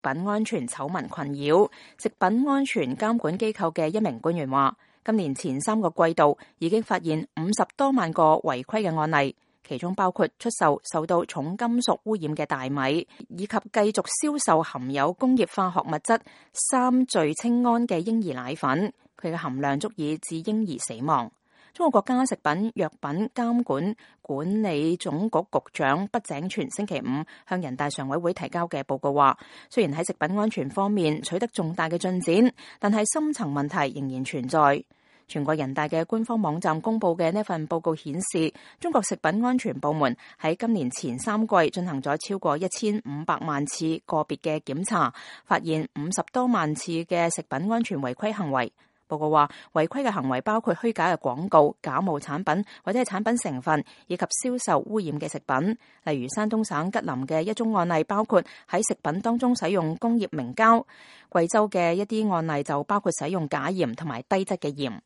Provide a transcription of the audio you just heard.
品安全醜聞困擾。食品安全監管機構嘅一名官員話，今年前3個季度已經發現50多萬個違規嘅案例，其中包括出售受到重金屬污染嘅大米，以及繼續銷售含有工業化學物質3聚氰胺嘅嬰兒奶粉，佢嘅含量足以致嬰兒死亡。中國國家食品藥品監管管理總局局長畢井泉星期5向人大常委會提交嘅報告話，雖然喺食品安全方面取得重大嘅進展，但係深層問題仍然存在。全國人大嘅官方網站公布嘅呢份報告顯示，中國食品安全部門喺今年前3季進行咗超過1500萬次個別嘅檢查，發現50多萬次嘅食品安全違規行為。報告話，違規嘅行為包括虛假嘅廣告、假冒產品或者係產品成分，以及銷售污染嘅食品。例如山東省吉林嘅一宗案例包括喺食品當中使用工業明膠，貴州嘅一啲案例就包括使用假鹽同埋低質嘅鹽。